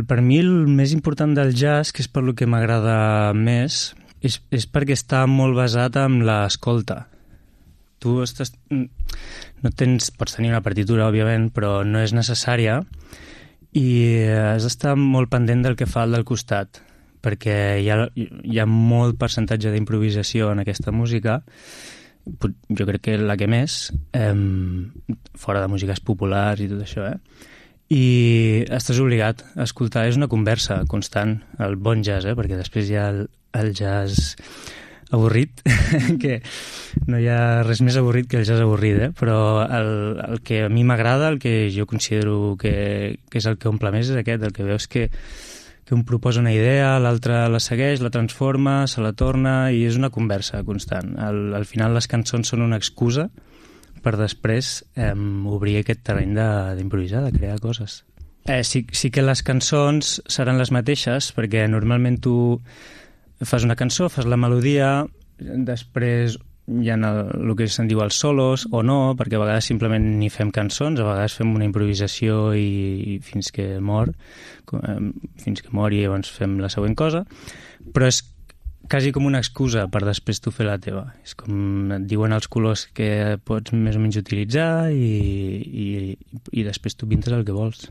Per mi el més important del jazz, que és per lo que m'agrada més, és perquè està molt basat en l'escolta. Tu pots tenir una partitura, òbviament, però no és necessària i has d'estar molt pendent del que fa el del costat, perquè hi ha molt percentatge d'improvisació en aquesta música. Jo crec que la que més, fora de músiques populars i tot això, i estàs obligat a escoltar. És una conversa constant, el bon jazz, perquè després hi ha el jazz avorrit, que no hi ha res més avorrit que el jazz avorrit, però el que a mi m'agrada, el que jo considero que és el que omple més, és aquest, el que veus que un proposa una idea, l'altre la segueix, la transforma, se la torna, i és una conversa constant. Al final les cançons són una excusa per després obrir aquest terreny d'improvisar, de crear coses. Sí que les cançons seran les mateixes, perquè normalment tu fas una cançó, fas la melodia, després hi ha el que se'n diu els solos o no, perquè a vegades simplement ni fem cançons, a vegades fem una improvisació i fins que mor i llavors fem la següent cosa, però és quasi com una excusa per després tu fer la teva. És com et diuen els colors que pots més o menys utilitzar i després tu pintes el que vols.